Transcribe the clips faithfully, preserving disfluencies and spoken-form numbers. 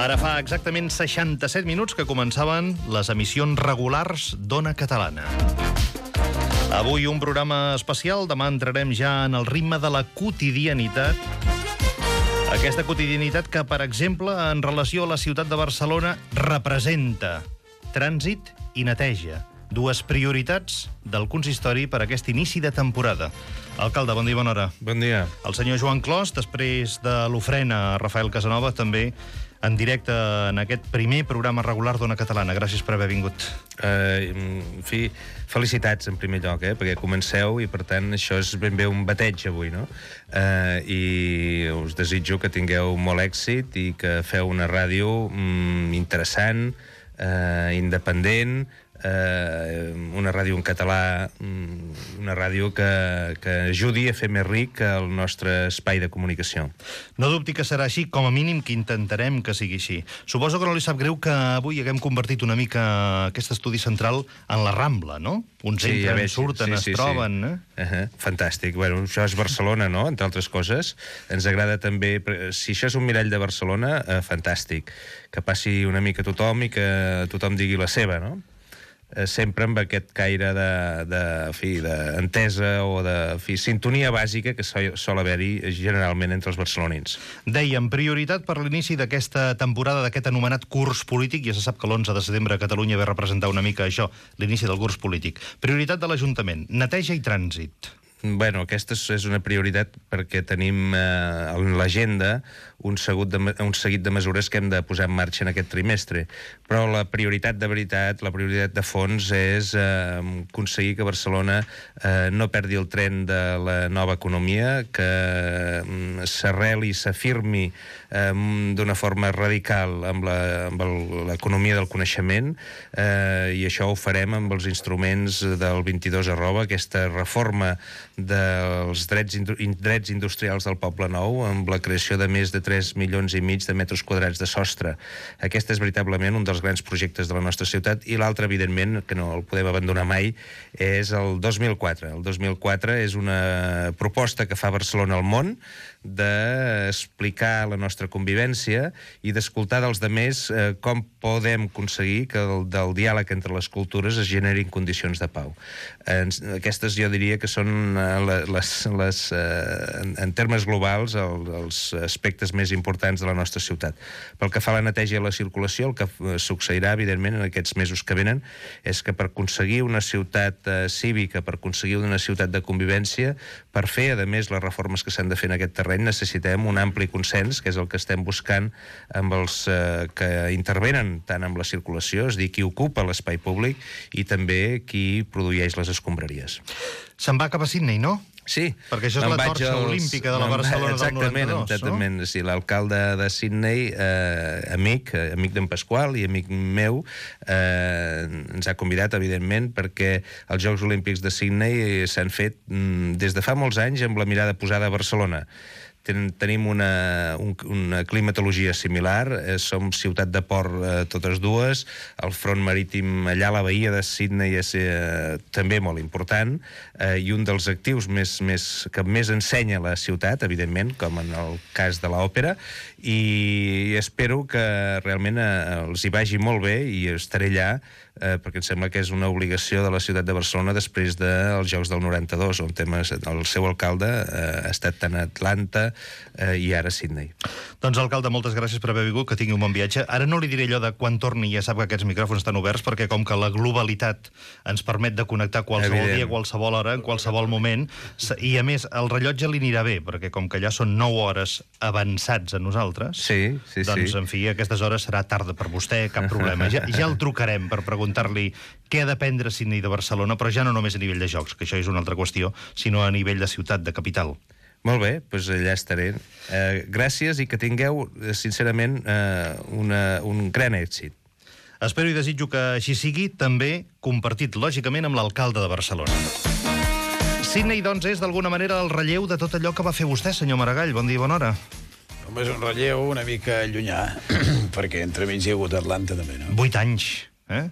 Ara fa exactament seixanta-set minuts que començaven les emissions regulars d'Ona Catalana. Avui un programa especial, demà entrarem ja en el ritme de la quotidianitat. Aquesta quotidianitat que, per exemple, en relació a la ciutat de Barcelona, representa trànsit i neteja. Dues prioritats del consistori per a aquest inici de temporada. Alcalde, bon dia, bona hora. Bon dia. El senyor Joan Clos, després de l'ofrena a Rafael Casanova, també en directe en aquest primer programa regular d'Ona Catalana. Gràcies per haver vingut. Uh, en fi, felicitats en primer lloc, eh? Perquè comenceu i per tant això és ben bé un bateig avui, no? Uh, I us desitjo que tingueu molt èxit i que feu una ràdio mm, interessant, uh, independent, Uh, una ràdio en català, una ràdio que, que ajudi a fer més ric el nostre espai de comunicació. No dubti que serà així, com a mínim que intentarem que sigui així. Suposo que no li sap greu que avui haguem convertit una mica aquest estudi central en la Rambla, no? Uns sí, entren, veig, surten, sí, sí, es troben... Sí. Eh? Uh -huh. Fantàstic. Bueno, això és Barcelona, no?, entre altres coses. Ens agrada també... Si això és un mirall de Barcelona, eh, fantàstic. Que passi una mica tothom i que tothom digui la seva, no? Sempre amb aquest caire de, de, fi, d'entesa o de fi, sintonia bàsica que sol, sol haver-hi generalment entre els barcelonins. Dèiem, prioritat per l'inici d'aquesta temporada, d'aquest anomenat curs polític. Ja se sap que l'onze de setembre a Catalunya va representar una mica això, l'inici del curs polític. Prioritat de l'Ajuntament, neteja i trànsit. Bueno, aquesta és una prioritat perquè tenim eh, en l'agenda un, un seguit de mesures que hem de posar en marxa en aquest trimestre. Però la prioritat de veritat, la prioritat de fons és eh, aconseguir que Barcelona eh, no perdi el tren de la nova economia, que eh, s'arreli, s'afirmi eh, d'una forma radical amb l'economia del coneixement, eh, i això ho farem amb els instruments del vint-i-dos arroba, aquesta reforma dels drets, drets industrials del Poble Nou, amb la creació de més de tres milions i mig de metres quadrats de sostre. Aquest és veritablement un dels grans projectes de la nostra ciutat, i l'altre, evidentment, que no el podem abandonar mai, és el dos mil quatre. El dos mil quatre és una proposta que fa Barcelona al món d'explicar la nostra convivència i d'escoltar dels demés eh, com podem aconseguir que el, del diàleg entre les cultures es generin condicions de pau. Eh, aquestes jo diria que són eh, les, les, eh, en, en termes globals el, els aspectes més importants de la nostra ciutat. Pel que fa a la neteja i la circulació, el que succeirà, evidentment, en aquests mesos que venen, és que per aconseguir una ciutat eh, cívica, per aconseguir una ciutat de convivència, per fer, a més, les reformes que s'han de fer en aquest terreny, necessitem un ampli consens, que és el que estem buscant amb els eh, que intervenen tant amb la circulació, és a dir, qui ocupa l'espai públic i també qui produeix les escombraries. Se'n va cap a Sydney, no? Sí. Perquè això és la torxa als... olímpica de la Barcelona del noranta-dos, exactament, no? Sí, l'alcalde de Sydney, eh, amic, eh, amic d'en Pasqual i amic meu, eh, ens ha convidat, evidentment, perquè els Jocs Olímpics de Sydney s'han fet mm, des de fa molts anys amb la mirada posada a Barcelona. Ten, tenim una, un, una climatologia similar, eh, som ciutat de port eh, totes dues, el front marítim allà, la bahia de Sydney és eh, també molt important, eh, i un dels actius més, més, que més ensenya la ciutat, evidentment, com en el cas de l'òpera, i espero que realment eh, els hi vagi molt bé i estaré allà, eh, perquè em sembla que és una obligació de la ciutat de Barcelona després dels Jocs del noranta-dos, on temes, el seu alcalde eh, ha estat tant a Atlanta eh, i ara a Sydney. Doncs, alcalde, moltes gràcies per haver vingut, que tingui un bon viatge. Ara no li diré allò de quan torni, ja sap que aquests micròfons estan oberts, perquè com que la globalitat ens permet de connectar qualsevol Evident. dia, qualsevol hora, en qualsevol moment, i a més, el rellotge li anirà bé, perquè com que ja són nou hores avançats a nosaltres, sí, sí, doncs, sí. en fi, a aquestes hores serà tarda per vostè, cap problema. Ja, ja el trucarem per preguntar-li què ha d'aprendre Sydney de Barcelona, però ja no només a nivell de jocs, que això és una altra qüestió, sinó a nivell de ciutat, de capital. Molt bé, doncs allà estaré. Eh, gràcies i que tingueu, sincerament, eh, una, un gran èxit. Espero i desitjo que així sigui, també compartit, lògicament, amb l'alcalde de Barcelona. Sydney, doncs, és d'alguna manera el relleu de tot allò que va fer vostè, senyor Maragall. Bon dia i bona hora. Home, és un relleu una mica llunyà, perquè entremig hi ha hagut Atlanta, també, no? Vuit anys, eh?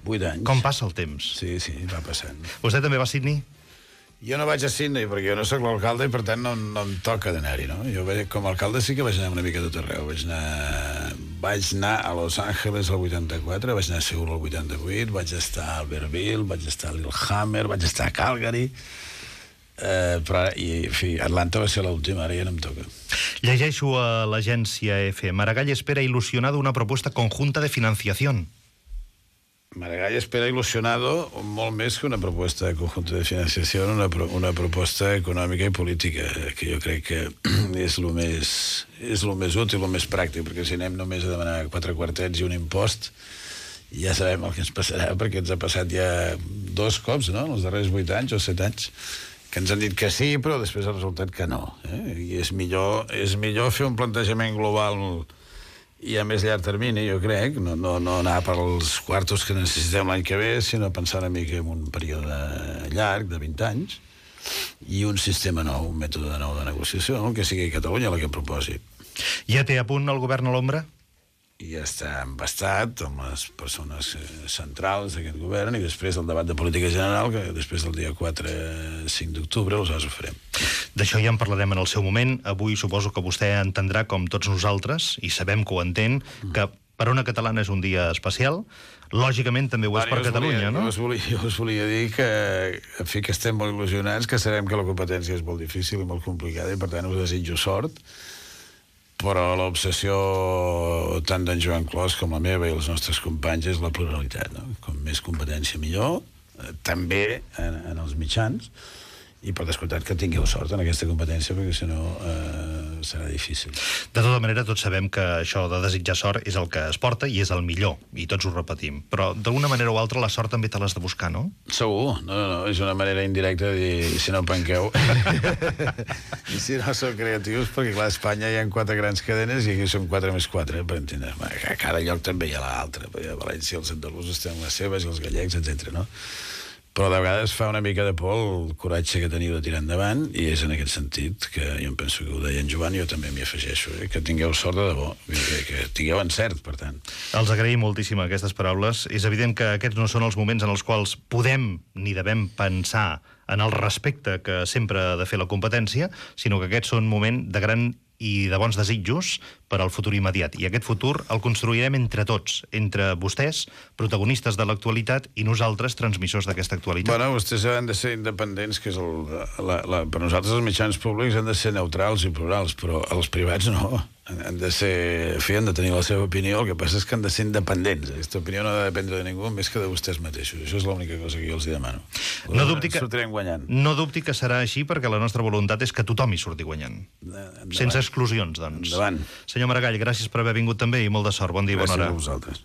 Vuit anys. Com passa el temps? Sí, sí, va passant. Vostè també va a Sydney? Jo no vaig a Sydney perquè jo no sóc l'alcalde i per tant no, no em toca d'anar-hi, no? Jo com a alcalde sí que vaig anar una mica a tot arreu. Vaig anar vaig anar a Los Angeles al vuitanta-quatre, vaig anar a Seul al vuitanta-vuit, vaig estar a Albertville, vaig estar a Lillehammer, vaig estar a Calgary, eh, però, i, en fi, Atlanta va ser l'última, ara ja no em toca. Llegeixo a l'agència E F. Maragall espera ilusionado una propuesta conjunta de financiación. Maragall espera ilusionado molt més que una proposta de conjunto de financiació, una, pro, una proposta econòmica i política, que jo crec que és el més, és el més útil, el més pràctic, perquè si anem només a demanar quatre quartets i un impost, ja sabem el que ens passarà, perquè ens ha passat ja dos cops, no?, en els darrers vuit anys o set anys, que ens han dit que sí, però després ha resultat que no. Eh? I és millor, és millor fer un plantejament global i a més llarg termini, jo crec, no, no, no anar per als quartos que necessitem l'any que ve, sinó pensar una mica en un període llarg, de vint anys, i un sistema nou, un mètode nou de negociació, no? Que sigui Catalunya la que proposi. Ja té a punt el govern a l'ombra? I ja està embastat amb les persones centrals d'aquest govern, i després del debat de política general, que després del dia quatre cinc d'octubre, aleshores ho farem. D'això ja en parlarem en el seu moment. Avui suposo que vostè entendrà, com tots nosaltres, i sabem que ho entén, que per una catalana és un dia especial. Lògicament també ho és per Catalunya, no? Jo us, volia, jo us volia dir que, en fi, que estem molt il·lusionats, que sabem que la competència és molt difícil i molt complicada, i per tant us desitjo sort, però l'obsessió tant d'en Joan Clos com la meva i els nostres companys és la pluralitat, no? Com més competència millor, eh, també en, en els mitjans, i per descomptat que tingueu sort en aquesta competència, perquè si no eh, serà difícil. De tota manera, tots sabem que això de desitjar sort és el que es porta i és el millor, i tots ho repetim. Però d'una manera o altra la sort també te l'has de buscar, no? Segur, no, no, no, és una manera indirecta de dir, si no penqueu. I si no sou creatius, perquè clar, a Espanya hi ha quatre grans cadenes i aquí són quatre més quatre, per entendre. A cada lloc també hi ha l'altre, perquè a València els andalusos tenen les seves i els gallecs, etcètera, no? Però de vegades fa una mica de por el coratge que teniu de tirar endavant, i és en aquest sentit que jo em penso que ho deia en Joan i jo també m'hi afegeixo, eh? Que tingueu sort de debò, que, que tingueu encert, per tant. Els agraïm moltíssim aquestes paraules. És evident que aquests no són els moments en els quals podem ni devem pensar en el respecte que sempre ha de fer la competència, sinó que aquests són moments de gran i de bons desitjos per al futur immediat. I aquest futur el construirem entre tots, entre vostès, protagonistes de l'actualitat, i nosaltres, transmissors d'aquesta actualitat. Bueno, vostès han de ser independents, que és el, la, la, per nosaltres els mitjans públics han de ser neutrals i plurals, però els privats no. Han de ser, fi, han de tenir la seva opinió, el que passa és que han de ser independents. Aquesta opinió no ha de dependre de ningú més que de vostès mateixos. Això és l'única cosa que jo els demano. No dubti que, sortirem guanyant. No dubti que serà així, perquè la nostra voluntat és que tothom hi surti guanyant. Endavant. Sense exclusions, doncs. Endavant. Senyor Maragall, gràcies per haver vingut també i molt de sort. Bon dia i bona hora. Gràcies a vosaltres.